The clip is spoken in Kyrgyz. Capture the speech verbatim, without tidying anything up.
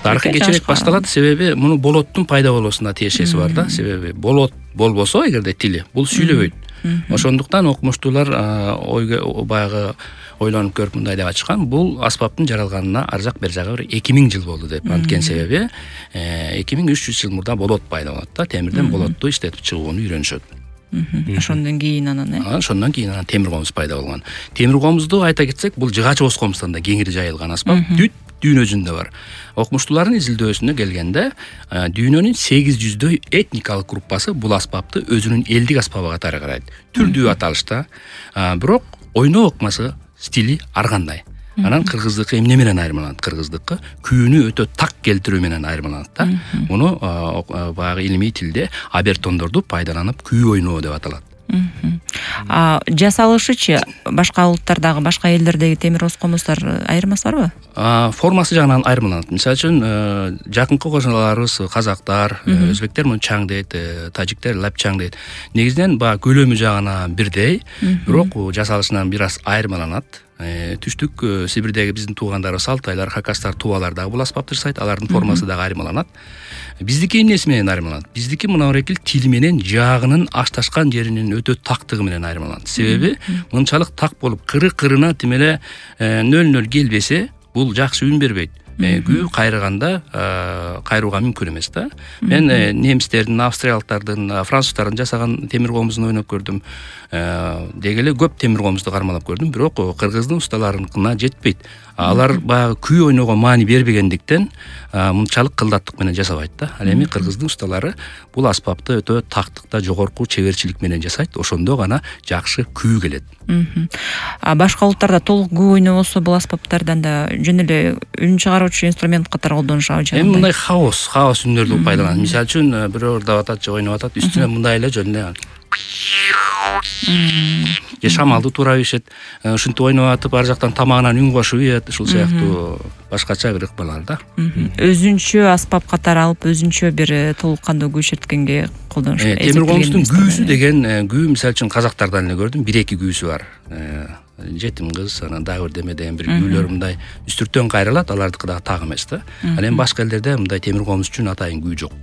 тарыхый кечирээк башталат, себеби муну болоттун пайда болуусуна тиешеси бар да. Себеби болот болбосо эгерде тили, бул сүйлөбөйт. Ошондуктан окумуштуулар ойго баягы ойлонуп көрүп мындай деп ачкан: бул аспаптын жаралганына ар жак бер жагы бир эки миң жыл болду деп. Анткени себеби эки миң үч жүз жыл мурда болот пайда болот да, темирден болотту иштетип чыгууну үйрөнүшөт. Ошондон кийин анан э ошондон кийин анан темир комуз пайда болгон. Темир комузду айта кетсек, бул жыгач оз комуздан да кеңири жайылган аспап. Дүт дүйнө жүзүндө бар. Окумуштуулардын изилдөөсүнө келгенде, дүйнөнүн сегиз жүздөй этникалык группасы бул аспапты өзүнүн элдик аспабы катары карайт. Түрдүү аталышта, бирок ойноо ыкмасы, стили ар кандай. Анан кыргыздыкы эмне менен айырмаланат? Кыргыздыкы күүнү өтө так келтирүү менен айырмаланат да. Муну баягы илимий тилде абертондорду пайдаланып күү ойноо деп аталат. А жасалышычы башка улуттардагы, башка элдердеги темир оз комуздар айырмасы барбы? Формасы жагынан айырмаланат. Мисалы үчүн, жакынкы кошуналарыбыз казактар, өзбектер муну чаң дейт, тажиктер лапчаң дейт. Негизинен баягы көлөмү жагынан бирдей, бирок жасалышынан бир аз айырмаланат. Түштүк Сибирдеги биздин туугандарыбыз алтайлар, хакастар, тувалар дагы бул аспапты жасайт, алардын формасы дагы айырмаланат. Биздики эмнеси менен айырмаланат? Биздики мына эркил тили менен жаагынын ашташкан жеринин өтө тактыгы менен айырмаланат. Себеби мынчалык так болуп, кыры-кырына тим эле нөл-нөл келбесе, бул жакшы үн бербейт. Күү кайрыганда кайрууга мүмкүн эмес да. Мен немистердин, австриялыктардын, француздардын жасаган темир комузун ойноп көрдүм. Деги эле көп темир комузду кармалап көрдүм, бирок кыргыздын усталарыныкына жетпейт. Алар баягы күү ойноого маани бербегендиктен мынчалык кылдаттык менен жасабайт да. Ал эми кыргыздын усталары бул аспапты өтө тактыкта жогорку чеберчилик менен жасайт. Ошондо гана жакшы күү келет. А башка улуттарда толук күү ойнобосо бул аспаптардан да жөн эле үн чыгаруучу инструмент катары колдонушабы же? Эми мындай хаос, хаос үндөрдү пайдаланат. Мисалы үчүн, бирөө ырдап атат же ойноп атат, үстүнө мындай эле жөн эле же шамалды туура ийишет, ушинтип ойноп атып, ар жактан тамагынан үн кошуп ийет, ушул сыяктуу башкача бир ыкмалар да. Өзүнчө аспап катары алып, өзүнчө бир толук кандуу күү чырткенге колдонуш. Темир комуздун күүсү деген күү, мисалы үчүн казактардан эле көрдүм, бир эки күүсү бар. Жетим кыз, анан дагы бир деме деген бир күүлөр мындай үстүртөн кайрылат, алардыкы дагы так эмес да. Ал эми башка элдерде мындай темир комуз үчүн атайын күү жок.